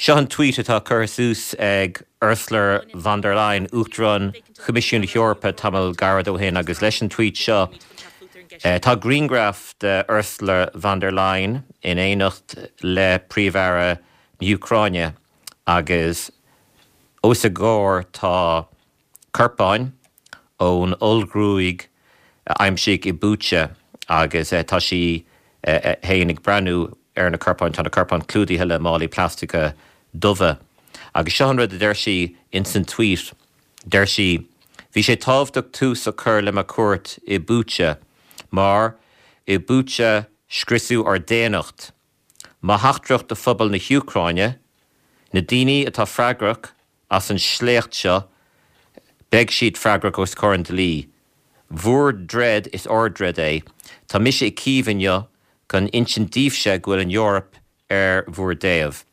Seo an tweet atá curtha suas ag Ursula von der Leyen, Uachtarán Choimisiún na hEorpa tamall gairid ó shin agus leis an tweet seo tá grianghraf de Ursula von der Leyen in éineacht le Príomh-Aire na hÚcráine agus os a gcomhair tá corpáin ón ollghruaig a aimsíodh i Bucha agus tá sí féin ag breathnú ar na corpáin. Tá na corpáin clúdaithe le málaí plaisteacha dubha. Agus seo an rud a deir sí ins an tweet, deir sí, Bhí sé tábhachtach tús a chur le mo chuairt i Bucha mar i Bucha scriosadh ár daonnacht. Mo theachtaireacht do phobal na hÚcráine, na daoine atá freagrach as an sléacht seo, beidh siad freagrach os comhair an dlí. Bhur dtroid, is ár dtroid é. Tá mise i Cív inniu chun insint daoibhse go bhfuil an Eoraip ar bhur dtaobh.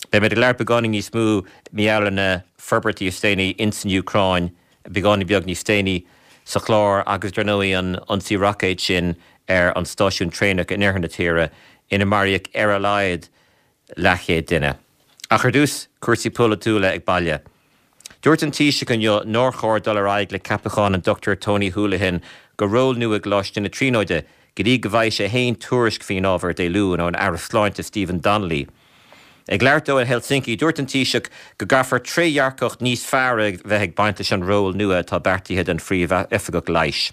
Beimid ag labhairt beagáinín níos mó mar gheall ar na forbairtí is déanaí ins an Úcráin beagáinín beag níos déanaí sa chlár agus dar ndóigh an ionsaí roicéid sin ar an stáisiún traenach in oirthear na tíre ina maraíodh ar a laghad leathchéad duine. Ach ar dtús, cúrsaí polaitiúla ag baile. Dúirt an Taoiseach inniu nár chóir dul ar aghaidh le ceapachán an Dr Tony Holohan go ról nua i gColáiste na Tríonóide go dtí go bhfaighidh sé féin tuairisc faoin ábhar Dé Luain ón Aire Sláinte Stephen Donnelly. Ag labhairt dó in Helsinki, dúirt an Taoiseach go gcaithfear trédhearcacht níos fearr a bheith ag baint leis an ról nua atá beartaithe don Phríomh-Oifigeach Leighis.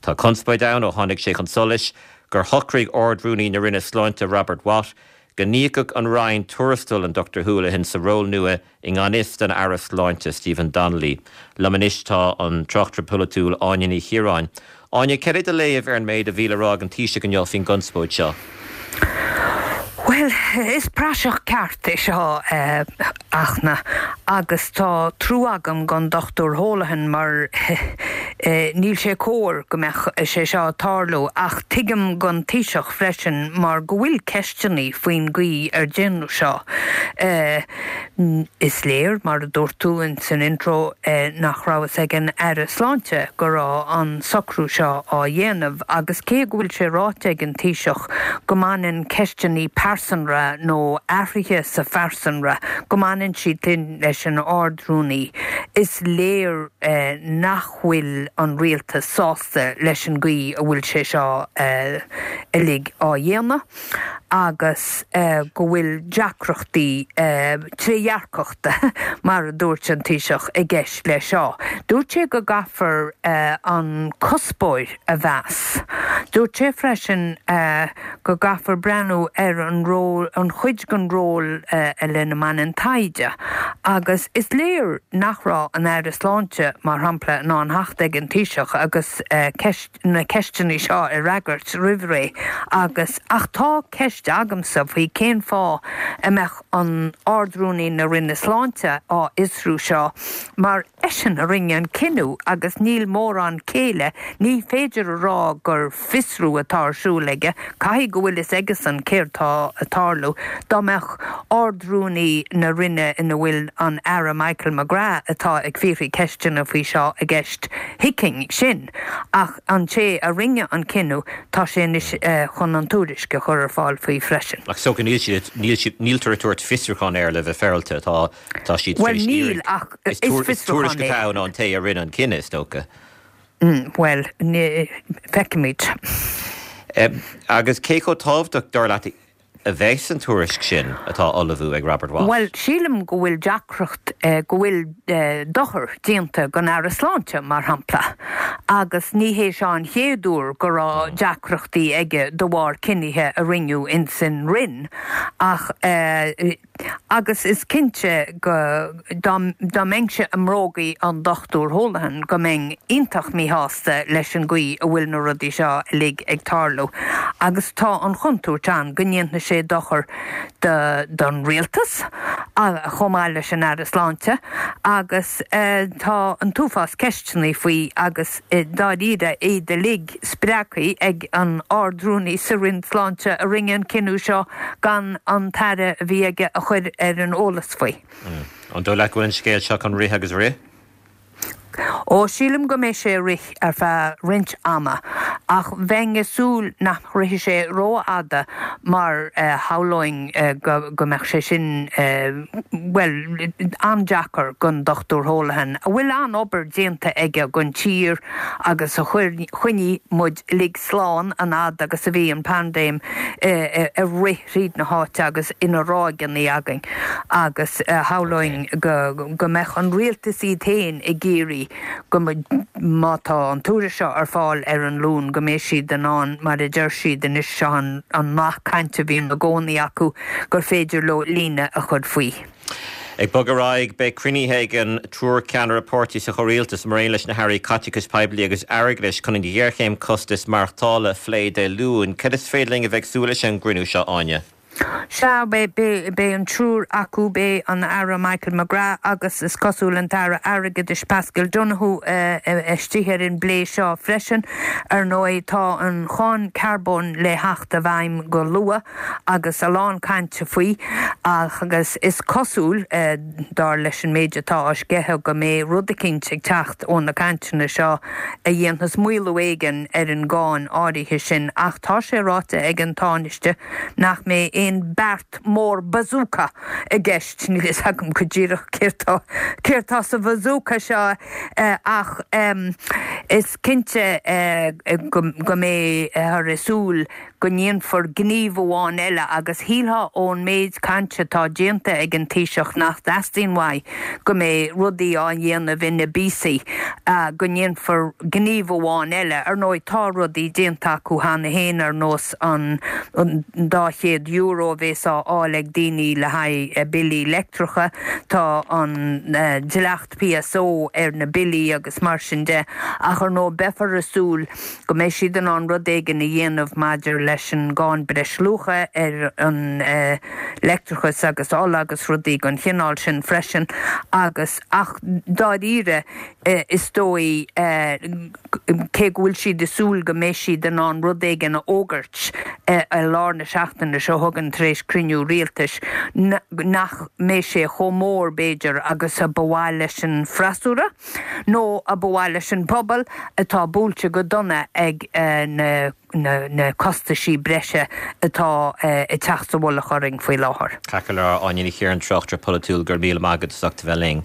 Tá conspóid ann ó tháinig sé chun solais gur shocraigh Ard-Rúnaí na Roinne Sláinte Robert Watt go n-íocfadh an Roinn tuarastal an Dr Holohan sa ról nua i ngan fhios don Aire Sláinte Stephen Donnelly. Liom anois tá an tráchtaire polaitiúil Áine Ní Chiaráin. Áine, céard é do léamh ar an méid a bhí le rá ag an Taoiseach inniu faoin gconspóid seo? Bhuel, is praiseach ceart é seo, a Fhachtna, agus tá trua agam don Dr Holohan mar níl sé cóir go mbeadh sé seo ag tarlú ach tuigim don Taoiseach freisin mar go bhfuil ceisteanna faoin gcaoi ar déanadh seo. Is léir, mar a dúirt tú ins an intro, nach raibh fhios ag an Aire Sláinte go raibh an socrú seo á dhéanamh agus cé go bhfuil sé ráite ag an Taoiseach go mbaineann ceisteanna pearsanra nó athruithe sa phearsanra, go mbaineann siad sin leis an Ard-Rúnaí, is léir nach bhfuil an Rialtas sásta leis an gcaoi a bhfuil sé seo uilig á dhéanamh. agus go bhfuil deacrachtaí trédhearcachta, mar a dúirt an Taoiseach, i gceist leis seo. Dúirt sé go gcaithfear an cuspóir a mheas. Dúirt sé freisin go gcaithfear breathnú ar an ról, an chuid den ról lena mbaineann taighde agus is léir nach raibh an Aire Sláinte, mar shampla, in ann theacht ag an Taoiseach agus ceist na ceisteanna seo a fhreagairt roimh ré agus ach tá ceist agamsa faoi cén fáth a mbeadh an Ard-Rúnaí na Roinne Sláinte á fhiosrú seo mar eisean a rinne an cinneadh agus níl mórán céille, ní féidir a rá gur fiosrú atá ar siúl aige, caithfidh go bhfuil fhios aigesan céard tá ag tarlú. Dá mbeadh Ard-Rúnaí na Roinne ina bhfuil an Aire Michael McGrath atá ag fiafraí ceisteanna faoi seo i gceist, thuigfinn sin. Ach an té a rinne an cinneadh, tá sé anois chun an tuairisc a chur ar fáil faoi freisin. Ach is dócha níl siad, níl siad, níltear ag tabhairt fiosrúchán air le bheith féaráilte, tá, tá siad tar Bhuel éis níl, iarraidh, ach is is tuairisc fiosrúchán é. atá ann ón té a rinne an cinneadh, is dócha. Bhuel, ní, feicfimid. Agus cé chomh tábhachtach, dar leat, a bheas an tuairisc sin atá á ullmhú ag Robert Watt? Bhuel, sílim go bhfuil deacracht, go bhfuil dochar déanta don Aire Sláinte, mar shampla, agus ní hé seo an chéad uair go raibh deacrachtaí aige de bharr cinnithe a rinneadh ins an Roinn ach, Agus is cinnte go, dá mbeinnse i mbrógaí an Dr Holohan, go mbeinn iontach míshásta leis an gcaoi a bhfuil na rudaí seo uilig ag tarlú. Agus tá an chontúirt ann go ndéanfaidh sé dochar don rialtas, chomh maith leis an Aire Sláinte, agus tá an t-uafás ceisteanna faoi agus dáiríre iad uilig spreagtha ag an Ard-Rúnaí sa Roinn Sláinte a rinne an cinneadh seo gan an tAire a bhí aige a chur ar an eolas faoi. An dóigh leat go bhfuil an scéal seo chun rith agus rith? Ó, sílim go mbeidh sé ag rith ar feadh roinnt ama. Ach bheinn ag súil nach rithfidh sé rófhada mar shamhlóinn go mbeadh sé sin, bhuel, an-deacair don Dr Holohan, a bhfuil an-obair déanta aige don tír agus a choinnigh muid uilig slán an fhad agus a bhí an paindéim ag rith thríd na háite agus ina ráigeanna againn agus shamhlóinn go mbeadh an rialtas iad féin ag iarraidh go má tá an tuairisc seo ar fáil ar an Luan go mbeidh siad in ann, mar a deir siad anois, seo an nath cainte a bhíonn i gcónaí acu, gur féidir leo líne a chur faoi. Ag bogadh ar aghaidh, beidh cruinnithe ag an triúr ceannaire páirtí sa chomhrialtas, mar aon leis na hairí caiteachais poiblí agus airgeadais, chun an ghéarchéim costais maireachtála a phlé Dé Luain. Cad is féidir linn a bheith ag súil leis ón gcruinniú seo, Áine? Sea, beidh an triúr acu, beidh an Aire Michael McGrath agus is cosúil an tAire Airgeadais Paschal Donohoe istigh ar an bplé seo freisin. Ar ndóigh, tá an cháin carbóin le theacht i bhfeidhm go luath agus a lán cainte faoi agus is cosúil, dar leis an méid atá á sceitheadh, go mbeidh rud eicínt ag teacht ó na cainteanna seo a dhéanfas maolú éigin ar an gcáin áirithe sin ach tá sé ráite ag an Tánaiste nach mbeidh aon beart mór bazooka i gceist. Níl fhios agam go díreach céard céard tá sa bhazooka seo ach is cinnte go mbeifear ag súil go ndéanfar gníomh amháin eile agus shílfeá ón méid cainte atá déanta ag an Taoiseach nach dteastaíonn uaidh go mbeidh rudaí á ndéanamh ina bpíosaí, go ndéanfar gníomh amháin eile. Ar ndóigh tá rudaí déanta acu cheana féin ar nós an €200 a bhéas á fháil ag daoine le haghaidh billí leictreacha, tá an dleacht PSO ar na billí agus mar sin de ach ar ndóigh beifear ag súil go mbeidh siad in ann rud éigin a dhéanamh maidir leis an gcáin breisluacha ar an leictreachas agus ola agus rudaí den chineál sin freisin agus ach dáiríre is dóigh cé go bhfuil siad ag súil go mbeidh siad in ann rud éigin a fhógairt i lár na seachtaine seo chugainn tar éis cruinniú rialtais nach mbeidh sé chomh mór b'fhéidir agus a ba mhaith leis an freasúra. nó a ba mhaith leis an bpobal atá buailte go dona ag na costaisí breise atá ag teacht sa mhullach orainn faoi láthair. Ceart go leor, Áine Ní Chiaráin, tráchtaire polaitiúil, go raibh míle maith agat as ucht a bheith linn.